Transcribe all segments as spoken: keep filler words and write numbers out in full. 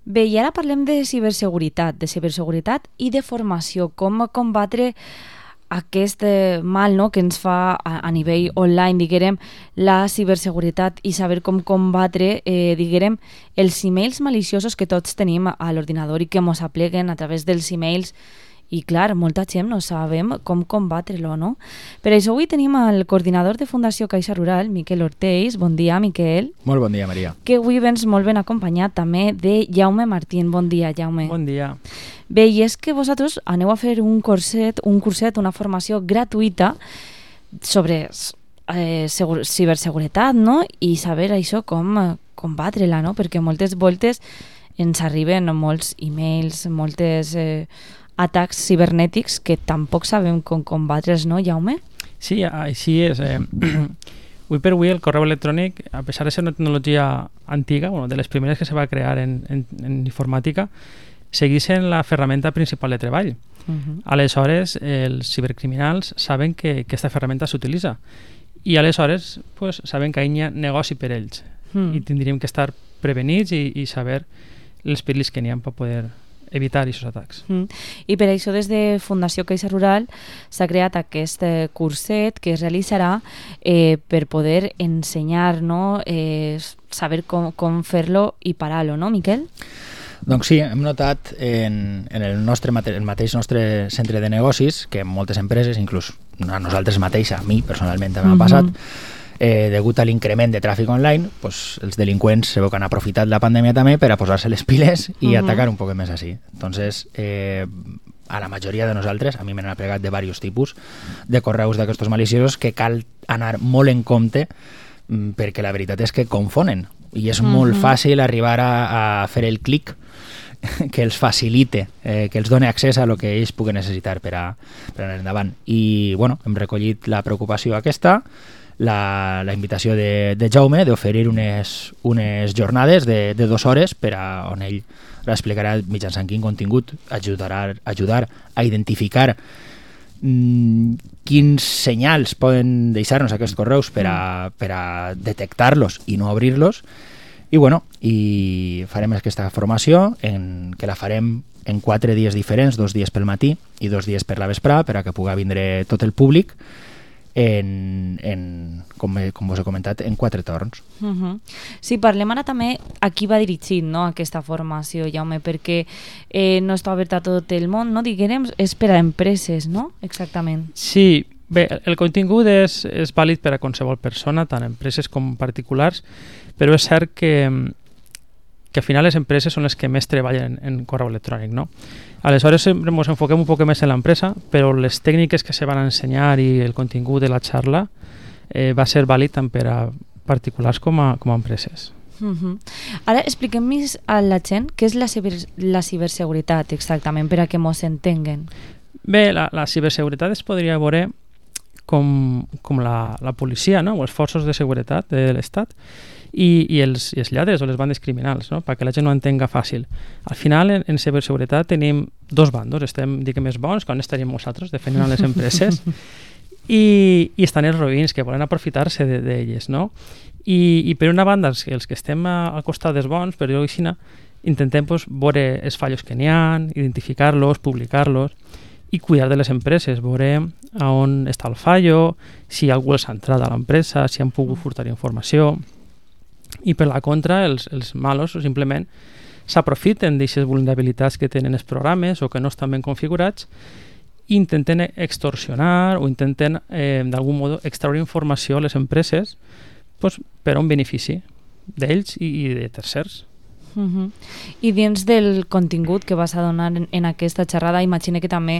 Bé, i ara parlem de ciberseguretat, de ciberseguretat i de formació, com combatre aquest eh, mal, no?, que ens fa a, a nivell online, diguem, la ciberseguretat i saber com combatre, eh, diguem, els emails maliciosos que tots tenim a l'ordinador i que ens apleguen a través dels emails. I clar, molta gent no sabem com combatre-lo, no? Per això avui tenim el coordinador de Fundació Caixa Rural, Miquel Ortells. Bon dia, Miquel. Molt bon dia, Maria. Que avui vens molt ben acompanyat també de Jaume Martín. Bon dia, Jaume. Bon dia. Bé, i és que vosaltres aneu a fer un curset, un curset, una formació gratuïta sobre eh, segur, ciberseguretat, no? I saber això com eh, combatre-la, no? Perquè moltes voltes ens arriben molts e-mails, moltes eh, atacs cibernètics que tampoc sabem com combatre's, no, Jaume? Sí, així és. Eh, avui per avui el correu electrònic, a pesar de ser una tecnologia antiga, bueno, de les primeres que se va crear en, en, en informàtica, segueix sent la ferramenta principal de treball. Uh-huh. Aleshores, els cibercriminals saben que aquesta ferramenta s'utilitza i aleshores pues, saben que hi ha negoci per ells uh-huh. i tindríem que estar prevenits i, i saber els perills que n'hi ha per poder evitar aquests atacs. Mm. I per això des de Fundació Caixa Rural s'ha creat aquest eh, curset que es realitzarà eh, per poder ensenyar, no? eh, saber com, com fer-lo i parar-lo, no, Miquel? Doncs sí, hem notat en, en el, nostre, el mateix nostre centre de negocis que moltes empreses, inclús a nosaltres mateix, a mi personalment també m'ha mm-hmm. passat, Eh, degut a l'increment de tràfic online, pues, els delinqüents se veu que han aprofitat la pandèmia també per a posar-se les piles i uh-huh. atacar un poc més així. Entonces, eh, a la majoria de nosaltres, a mi m'han aplegat de diversos tipus de correus d'aquests maliciosos que cal anar molt en compte mm, perquè la veritat és que confonen i és uh-huh. molt fàcil arribar a, a fer el clic que els facilite, eh, que els doni accés a lo que ells puguen necessitar per a, per a anar endavant. I bueno, hem recollit la preocupació aquesta, La, la invitació de, de Jaume d'oferir unes, unes jornades de, de dues hores per a on ell explicarà mitjançant quin contingut ajudarà ajudar a identificar mm, quins senyals poden deixar-nos aquests correus per a, per a detectar-los i no obrir-los. I bueno, i farem aquesta formació en, que la farem en quatre dies diferents, dos dies pel matí i dos dies per la vesprada per a que pugui vindre tot el públic en, en com, com us he comentat, en quatre torns. Uh-huh. Sí, parlem ara també a qui va dirigit, no, aquesta formació, Jaume, perquè eh, no està oberta a tot el món, no? Diguem, és per a empreses, no? Exactament. Sí, bé, el contingut és, és vàlid per a qualsevol persona, tant empreses com particulars, però és cert que, que al final les empreses són les que més treballen en correu electrònic, no? Aleshores ens enfoquem un poc més en l'empresa, però les tècniques que se van ensenyar i el contingut de la xarra eh, va ser vàlid tant per a particulars com a, com a empreses. Uh-huh. Ara expliquem més a la gent què és la, ciber, la ciberseguretat exactament, per a que mos entenguen. Bé, la, la ciberseguretat es podria veure com, com la, la policia, no? O els forços de seguretat de l'Estat i, i, els, i els lladres o les bandes criminals, no? Perquè la gent no entenga fàcil. Al final, en, en ciberseguretat tenim dos bandos, estem, diguem, més bons, que on estaríem nosaltres defendent les empreses, i, i estan els roïns que volen aprofitar-se d'elles, de, no? I, I per una banda, els, els que estem a, al costat dels bons, per dir-ho així, intentem pues, veure els fallos que n'hi ha, identificar-los, publicar-los, i cuidar de les empreses, veure a on està el fallo, si algú els ha entrat a l'empresa, si han pogut furtar informació. I per la contra, els, els malos simplement s'aprofiten d'aquestes vulnerabilitats que tenen els programes o que no estan ben configurats i intenten extorsionar o intenten eh, d'algun modo extraure informació a les empreses pues, per a un benefici d'ells i, i de tercers. Uh-huh. I dins del contingut que vas a donar en, en aquesta xerrada, imagine que també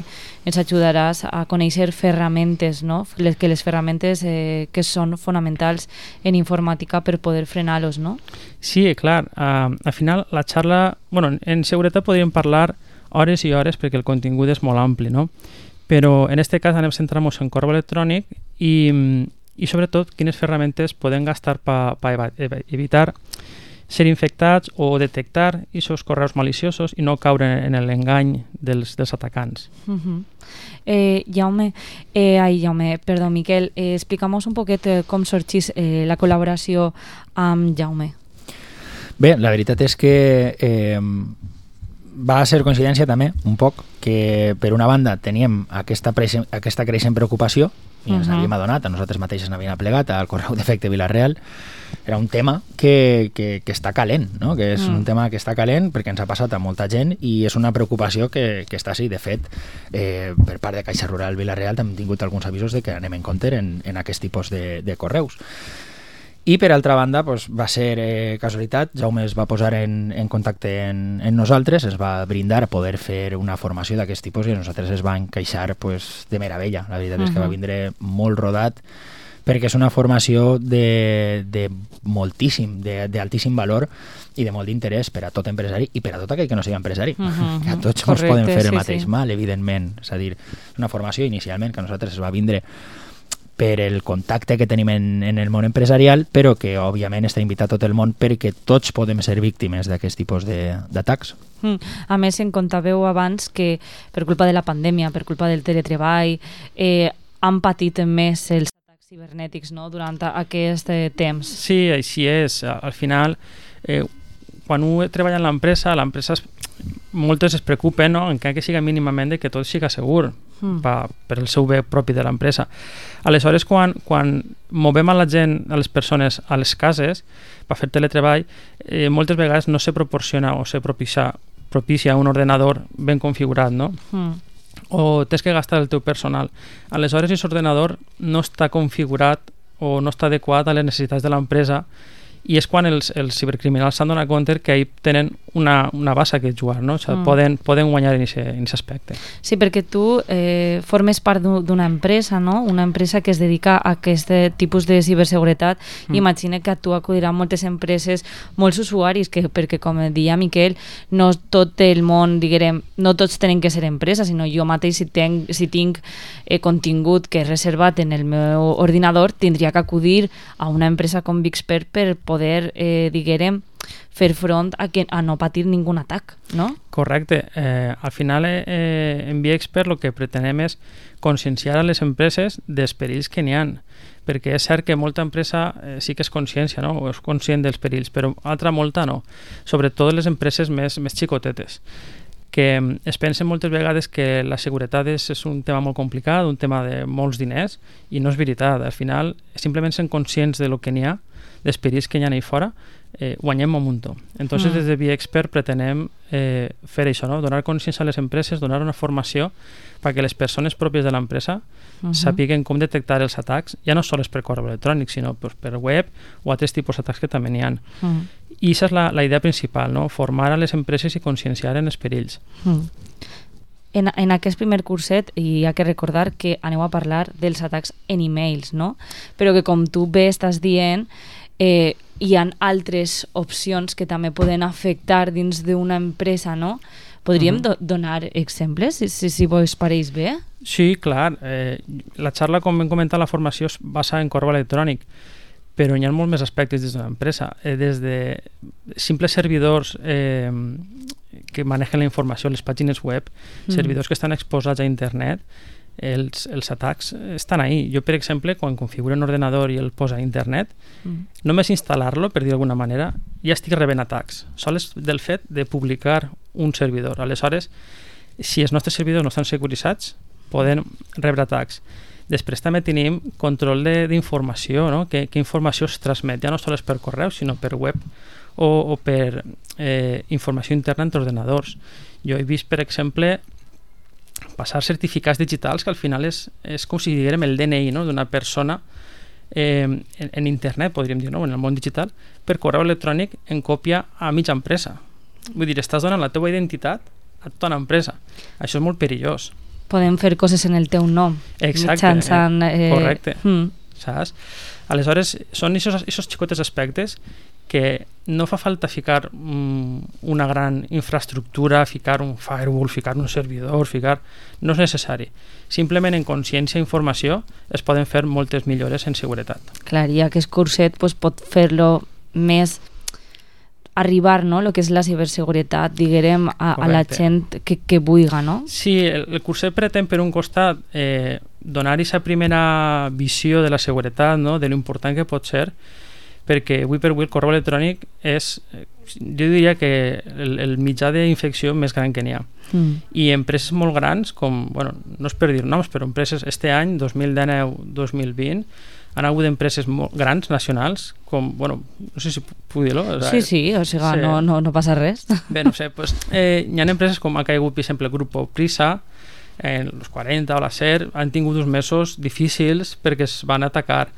ens ajudaràs a conèixer ferramentes, no? Les, que les ferramentes eh, que són fonamentals en informàtica per poder frenar-los, no? Sí, clar. Uh, al final, la xarra... Bueno, en seguretat podríem parlar hores i hores perquè el contingut és molt ampli, no? Però en aquest cas anem a centrar-nos en correu electrònic i, i sobretot quines ferramentes podem gastar per pa evitar ser infectats o detectar aquests correus maliciosos i no caure en l'engany dels, dels atacants. Uh-huh. eh, Jaume, eh, ai, Jaume, perdó, Miquel, eh, explica'm un poquet eh, com sorgís eh, la col·laboració amb Jaume. Bé, la veritat és que eh, va ser coincidència també, un poc, que per una banda teníem aquesta, preixen, aquesta creixent preocupació i ens uh-huh. n'havíem adonat, a nosaltres mateixes n'havíem plegat al correu d'efecte Vila-real. Era un tema que, que, que està calent, no? Que és mm. un tema que està calent perquè ens ha passat a molta gent i és una preocupació que, que està així. De fet, eh, per part de Caixa Rural Vila-real hem tingut alguns avisos de que anem en compte en, en aquest tipus de, de correus. I per altra banda, pues, va ser eh, casualitat, Jaume es va posar en, en contacte en, en nosaltres, es va brindar a poder fer una formació d'aquest tipus i a nosaltres es va encaixar pues, de meravella. La veritat uh-huh. és que va vindre molt rodat perquè és una formació de, de moltíssim, d'altíssim valor i de molt d'interès per a tot empresari i per a tot aquell que no sigui empresari. Uh-huh. Que a tots ens poden fer el sí, mateix sí. mal, evidentment. És a dir, una formació inicialment que a nosaltres es va vindre per el contacte que tenim en, en el món empresarial, però que òbviament està invitat tot el món perquè tots podem ser víctimes d'aquest tipus d'atacs. Mm. A més, en contàveu abans que per culpa de la pandèmia, per culpa del teletreball, eh, han patit més els atacs cibernètics, no?, durant aquest temps. Sí, així és. Al final, eh, quan un treballa en l'empresa, l'empresa moltes es preocupen, no?, encara que siga mínimament de que tot siga segur mm. pa, per el seu bé propi de l'empresa. Aleshores, quan, quan movem a la gent, a les persones, a les cases per fer teletreball, eh, moltes vegades no se proporciona o se propicia, propicia un ordenador ben configurat, no? Mm. O tens que gastar el teu personal. Aleshores, aquest ordenador no està configurat o no està adequat a les necessitats de l'empresa i és quan els, els cibercriminals s'han donat compte que ahí tenen una, una bassa que jugar, no? O sigui, mm. poden, poden guanyar en aquest aspecte. Sí, perquè tu eh, formes part d'una empresa, no? Una empresa que es dedica a aquest tipus de ciberseguretat. Mm. Imagina que a tu acudiran moltes empreses, molts usuaris, que, perquè com deia Miquel, no tot el món, diguem, no tots tenen que ser empresa, sinó jo mateix si, ten, si tinc eh, contingut que és reservat en el meu ordinador, tindria que acudir a una empresa com Vixpert per poder, eh, diguem, fer front a, que, a no patir ningun atac, no? Correcte. Eh, al final, eh, en Vixpert el que pretenem és conscienciar a les empreses dels perills que n'hi ha, perquè és cert que molta empresa eh, sí que és consciència, no? O és conscient dels perills, però altra molta no. Sobretot les empreses més, més xicotetes, que es pensen moltes vegades que la seguretat és, és un tema molt complicat, un tema de molts diners, i no és veritat. Al final, simplement sent conscients de lo que n'hi ha, dels perills que hi ha ahí fora, eh, guanyem un muntó. Entonces, mm. des de Vixpert pretenem eh, fer això, no? Donar consciència a les empreses, donar una formació perquè les persones pròpies de l'empresa uh-huh. sàpiguen com detectar els atacs, ja no sols per correu electrònic, sinó pues, per web o altres tipus d'atacs que també n'hi ha. Uh-huh. I aquesta és la, la idea principal, no? Formar a les empreses i conscienciar en els perills. Uh-huh. En, en aquest primer curset hi ha que recordar que aneu a parlar dels atacs en e-mails, no? Però que com tu bé estàs dient, eh, hi ha altres opcions que també poden afectar dins d'una empresa, no? Podríem uh-huh. do- donar exemples, si, si, si vos pareix bé? Sí, clar. Eh, la xarra, com hem comentat, la formació es basa en correu electrònic, però hi ha molts més aspectes dins d'una empresa. Eh, des de simples servidors eh, que manegen la informació, les pàgines web, mm. servidors que estan exposats a internet, els, els atacs estan ahí. Jo, per exemple, quan configuro un ordenador i el posa a internet, mm. només instal·lar-lo, per dir d'alguna manera, ja estic rebent atacs. Sols del fet de publicar un servidor. Aleshores, si els nostres servidors no estan securitzats, poden rebre atacs. Després també tenim control d'informació, no? Que, que informació es transmet, ja no sols per correu, sinó per web o, o per eh, informació interna entre ordenadors. Jo he vist, per exemple, passar certificats digitals que al final és, és com si diguem el D N I, no? D'una persona eh, en, en internet, podríem dir, no? En el món digital, per correu electrònic en còpia a mitja empresa. Vull dir, estàs donant la teva identitat a tota una empresa. Això és molt perillós. Podem fer coses en el teu nom. Exacte, mitjançant, eh, correcte. Hmm. Saps? Aleshores, són aquests xicotes aspectes que no fa falta ficar um, una gran infraestructura, ficar un firewall, ficar un servidor, ficar... No és necessari. Simplement en consciència i informació es poden fer moltes millores en seguretat. Clar, i aquest curset pues, pot fer-lo més arribar, no?, el que és la ciberseguretat, diguem, a, a la gent que, que vulga, no? Sí, el, el curset pretén, per un costat, eh, donar aquesta primera visió de la seguretat, no?, de l'important que pot ser, perquè avui per avui el correu electrònic és, jo diria que el, el mitjà d'infecció més gran que n'hi ha. Mm. I empreses molt grans, com, bueno, no és per dir noms, però empreses este any, dos mil dinou dos mil vint, han hagut empreses molt grans, nacionals, com, bueno, no sé si puc dir-lo. O sigui, sí, sí, o sigui, sí. No, no, no passa res. Bé, no sé, pues, eh, hi ha empreses com ha caigut, per exemple, el grup Prisa, en los quaranta o la SER, han tingut uns mesos difícils perquè es van atacar.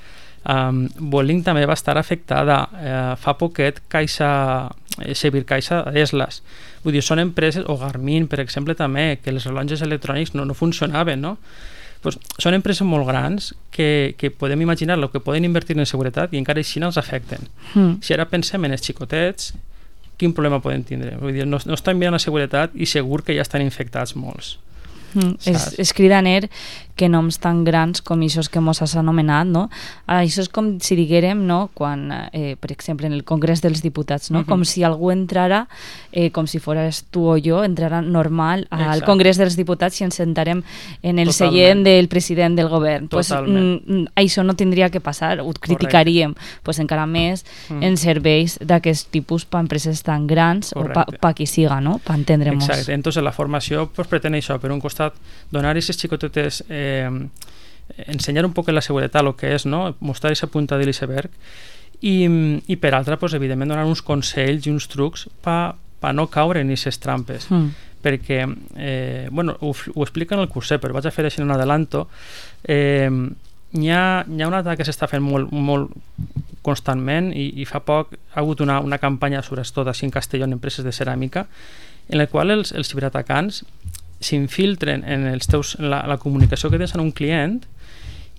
Um, Vueling també va estar afectada. Uh, fa poquet Caixa, eh, Xavier Caixa d'Eslas. Vull dir, són empreses, o Garmin, per exemple, també, que els rellotges electrònics no, no funcionaven, no? Pues són empreses molt grans que, que podem imaginar el que poden invertir en seguretat i encara així no els afecten. Mm. Si ara pensem en els xicotets, quin problema poden tindre? Vull dir, no, no estan mirant la seguretat i segur que ja estan infectats molts. Mm, és, és cridaner que noms tan grans com això que mos has anomenat, no? Això és com si diguérem, no? Quan, eh, per exemple, en el Congrés dels Diputats, no? Uh-huh. Com si algú entrara, eh, com si fores tu o jo, entrara normal al Exacte. Congrés dels Diputats i ens sentarem en el Totalment. Seient del president del govern. Pues, mm, això no tindria que passar, ho criticaríem, pues, encara més mm. en serveis d'aquest tipus per empreses tan grans Correcte. O per pa qui siga, no? Per entendre-nos. Exacte, entonces la formació pues, pretén això, per un costat donar aquestes xicotetes eh, ensenyar un poc la seguretat el que és, no? Mostrar aquesta punta de l'iceberg i, i per altra, pues, evidentment donar uns consells i uns trucs per pa no caure en aquestes trampes mm. perquè, eh, bueno, ho, ho explica en el curset, però vaig a fer així en un adelanto. eh, hi ha, hi ha un atac que s'està fent molt, molt constantment i, i fa poc ha hagut una, una campanya, sobretot així en Castelló, en empreses de ceràmica, en la qual els, els ciberatacants s'infiltren en, els teus, en la, la comunicació que tens amb un client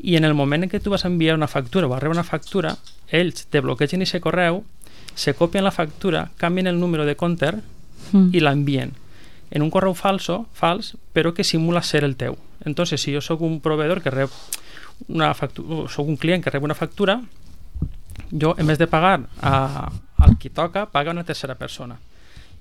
i en el moment en què tu vas enviar una factura o vas rebre una factura, ells te bloquegen aquest correu, se copien la factura, canvien el número de compte mm. i l'envien en un correu falso, fals, però que simula ser el teu. Entonces, si jo sóc un proveïdor que rep una factura, o sóc un client que rep una factura, jo, en vez de pagar a, al qui toca, paga una tercera persona.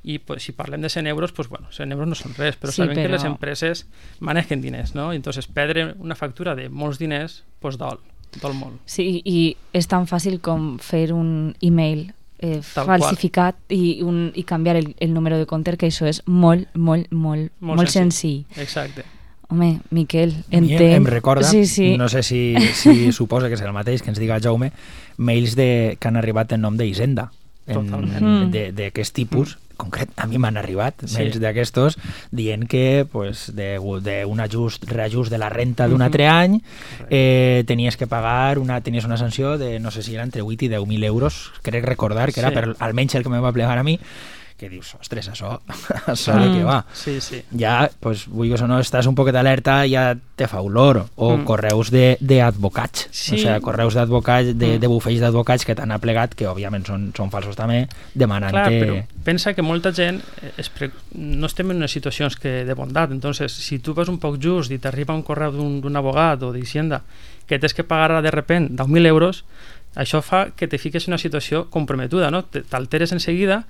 I pues, si parlem de cent euros, pues, bueno, cent euros no són res, però sí, sabem però... que les empreses manejen diners, no? Entonces, perdre una factura de molts diners, pues, dol, dol molt. Sí, i és tan fàcil com fer un email eh, falsificat i, un, i canviar el, el número de compte, que això és molt, molt, molt, molt, molt senzill. senzill. Exacte. Home, Miquel, entenc... Em recorda, sí, sí. no sé si, si suposa que és el mateix, que ens diga Jaume, mails de, que han arribat en nom d'Hisenda, d'aquest tipus, mm. concret, a mi m'han arribat sí. mails d'aquestos dient que pues, d'un ajust, reajust de la renta d'un altre any eh, tenies que pagar una, tenies una sanció de no sé si era entre vuit i deu mil euros, crec recordar que era sí. per, almenys el que me va plegar a mi, que dius, ostres, això, això mm. de què va. Sí, sí. Ja, pues, vull que no, estàs un poquet alerta, ja te fa olor. O mm. correus d'advocats. Sí. O sigui, correus d'advocats, de, mm. de bufets d'advocats que t'han aplegat, que òbviament són, són falsos també, demanant-te... Clar, però pensa que molta gent es pre... no estem en unes situacions que de bondat. Entonces, si tu vas un poc just i t'arriba un correu d'un, d'un abogat o d'Hisenda que tens que pagar de repent deu mil euros, això fa que te fiques en una situació comprometuda, no? T'alteres en seguida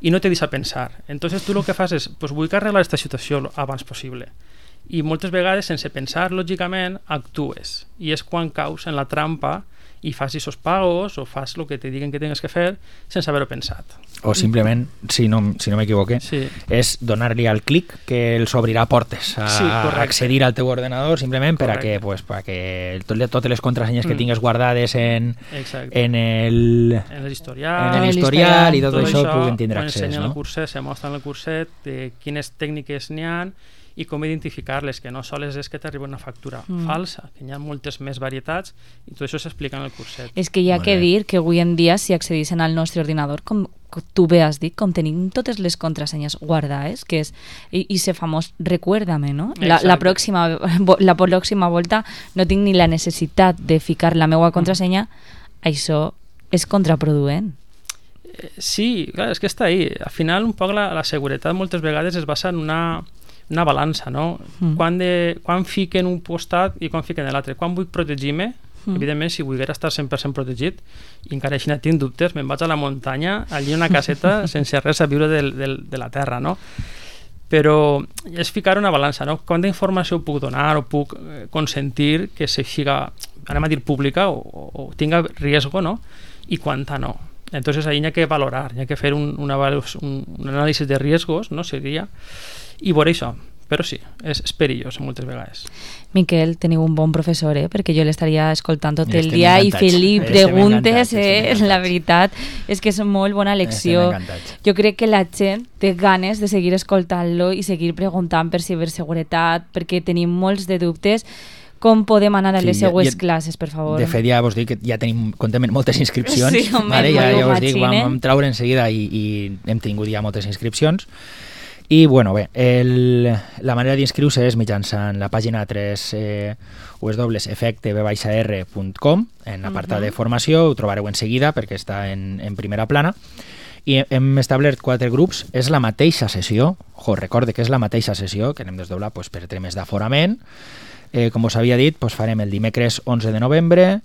i no te deixa pensar. Entonces tu el que fas és, pues vull arreglar aquesta situació abans possible. I moltes vegades, sense pensar lògicament, actues. I és quan caus en la trampa i fas aquests pagos o fas el que te diguen que tens que fer sense haver-ho pensat. O simplement, si no, si no m'equivoque, sí. és donar-li al clic que els obrirà portes a, sí, a accedir al teu ordenador simplement per a que, pues, per a que tot, totes les contrasenyes mm. que tingues guardades en, en el en l'historial, en l'historial i tot, tot això, això puguin tindre accés. Quan no? el curset, se mostra en el curset de quines tècniques n'hi ha i com identificar-les, que no sols és que t'arriba una factura mm. falsa, que hi ha moltes més varietats i tot això s'explica en el curset. És que hi ha que dir que avui en dia si accedissin al nostre ordinador, com tu bé has dit, com tenim totes les contrasenyes guardades, que és i, i ser famós, recuérdame, no? La, la, pròxima, la pròxima volta no tinc ni la necessitat de ficar la meva contrasenya, mm. això és contraproduent. Sí, clar, és que està ahí. Al final, un poc la, la seguretat moltes vegades es basa en una una balança, no? Mm. Quan, de, quan fiquen un costat i quan fiquen l'altre. Quan vull protegir-me, mm. evidentment, si volguera estar cent per cent protegit, i encara així no tinc dubtes, me'n vaig a la muntanya, allí una caseta, sense res a viure del, del, de la terra, no? Però és ficar una balança, no? Quanta informació puc donar o puc consentir que se siga, anem a dir, pública o, o, o tinga riesgo, no? y cuánta no. Entonces ahí hay que valorar, hay que hacer un, una, un, un análisis de riesgos, no seria, i veure això. Però sí, és, és perillós moltes vegades. Miquel, teniu un bon professor, eh? Perquè jo l'estaria escoltant tot el dia i fent-li preguntes, eh? La veritat és que és molt bona lecció. Jo crec que la gent té ganes de seguir escoltant-lo i seguir preguntant per ciberseguretat, perquè tenim molts de dubtes. Com podem anar a les sí, seues ja, classes, per favor? De fet, ja vos dic que ja tenim, comptem moltes inscripcions. Sí, home, vale? Ja, ja vos dic, vam, vam traure en seguida i, i hem tingut ja moltes inscripcions. I, bueno, bé, el, la manera d'inscriure-se és mitjançant la pàgina tres eh, w w w punt efecte b r punt com, en l'apartat uh-huh. de formació, ho trobareu en seguida perquè està en, en primera plana. I hem establert quatre grups, és la mateixa sessió, jo, recorde que és la mateixa sessió, que anem desdoblar pues, per temes d'aforament. Eh, com us havia dit, pues, farem el dimecres onze de novembre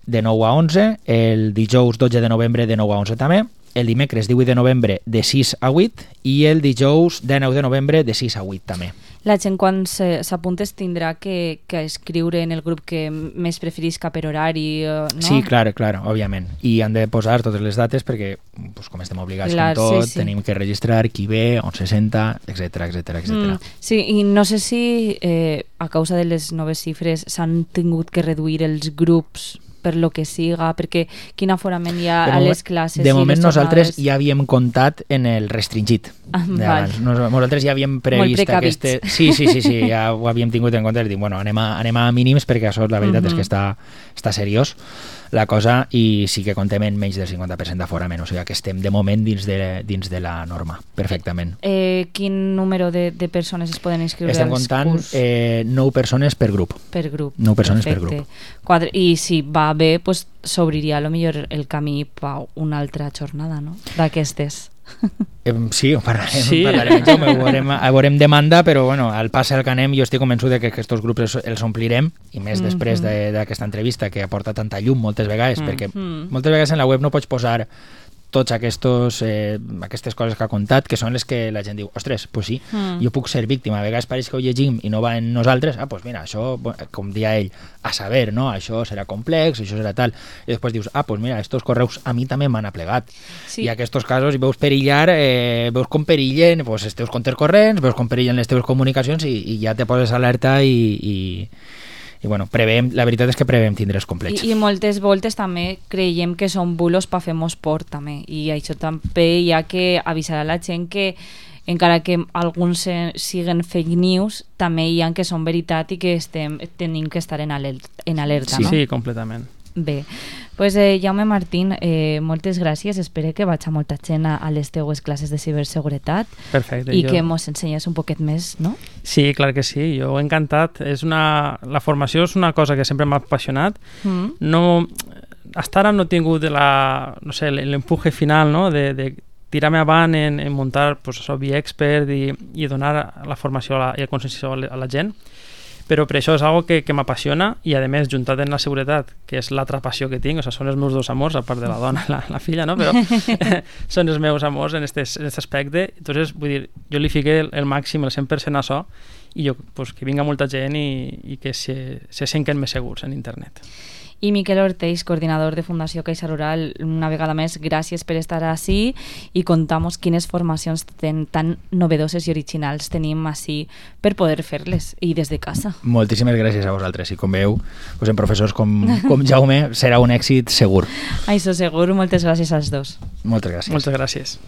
de nou a onze, el dijous dotze de novembre de nou a onze també, el dimecres divuit de novembre de sis a vuit i el dijous dinou de novembre de sis a vuit també. La gent quan s'apuntes tindrà que, que escriure en el grup que més preferisca per horari, no? Sí, clar, clar, òbviament. I han de posar totes les dates perquè, pues, com estem obligats clar, amb tot, sí, sí. tenim que registrar qui ve, on se senta, etcètera, etcètera, etcètera. Mm, sí, i no sé si eh, a causa de les noves xifres s'han tingut que reduir els grups per lo que siga, perquè quin aforament hi ha a les classes. De moment nosaltres ja havíem comptat en el restringit. Ah, nosaltres ja havíem previst aquest... Sí, sí, sí, sí, ja ho havíem tingut en compte i dic, bueno, anem a, anem a mínims perquè això la veritat uh-huh. és que està, està seriós la cosa i sí que contem en menys del cinquanta per cent d'aforament, o sigui que estem de moment dins de, dins de la norma, perfectament. Eh, quin número de, de persones es poden inscriure Estem als comptant curs? Eh, nou persones per grup. Per grup. Nou persones perfecte. Per grup. Quatre, I si va bé, pues, s'obriria a lo millor el camí per una altra jornada, no? D'aquestes. Eh, sí, ho parlarem, sí. parlarem, ho veurem, ho veurem demanda, però bueno, al pas al que anem jo estic convençut de que aquests grups els, els omplirem i més mm-hmm. després d'aquesta entrevista que aporta tanta llum moltes vegades, mm-hmm. perquè moltes vegades en la web no pots posar tots aquests, eh, aquestes coses que ha contat, que són les que la gent diu, ostres, pues sí, mm. jo puc ser víctima, a vegades pareix que ho llegim i no va en nosaltres, ah, pues mira, això, com dia ell, a saber, no? Això serà complex, això serà tal, i després dius, ah, pues mira, estos correus a mi també m'han aplegat, sí. i aquests casos i veus perillar, eh, veus com perillen pues, els teus comptes corrents, veus com perillen les teves comunicacions i, i ja te poses alerta i... i i bueno, preveiem, la veritat és que preveiem tindre els complets. I, i moltes voltes també creiem que són bulos per fer-nos por també, i això també hi ha que avisar a la gent que encara que alguns siguen fake news, també hi ha que són veritat i que estem, tenim que estar en alerta, en alerta sí. no? Sí, completament. Bé, pues, eh, Jaume Martín, eh, moltes gràcies. Espero que vaig a molta gent a, a les teues classes de ciberseguretat. Perfecte. I jo... que mos ensenyes un poquet més, no? Sí, clar que sí. Jo he encantat. És una... La formació és una cosa que sempre m'ha apassionat. Mm. No... Hasta ara no he tingut la... no sé, l'empuje final, no?, de, de tirar-me avant en, en muntar pues, això, Be Expert i, i donar la formació a la, i el conscienciació a la, a la gent. Però per això és algo que, que m'apassiona i a més juntat en la seguretat, que és l'altra passió que tinc, o sigui, són els meus dos amors, a part de la dona i la, la filla, no? Però són els meus amors en aquest aspecte. Entonces, vull dir, jo li fiqué el, el màxim, el cent per cent a això i jo, pues, que vinga molta gent i, i que se, se senten més segurs en internet. I Miquel Ortells, coordinador de Fundació Caixa Rural, una vegada més, gràcies per estar ací i contamos quines formacions ten, tan novedoses i originals tenim ací per poder fer-les i des de casa. Moltíssimes gràcies a vosaltres i com veieu, pues en professors com, com Jaume serà un èxit segur. Això segur, moltes gràcies als dos. Moltes gràcies. Moltes gràcies.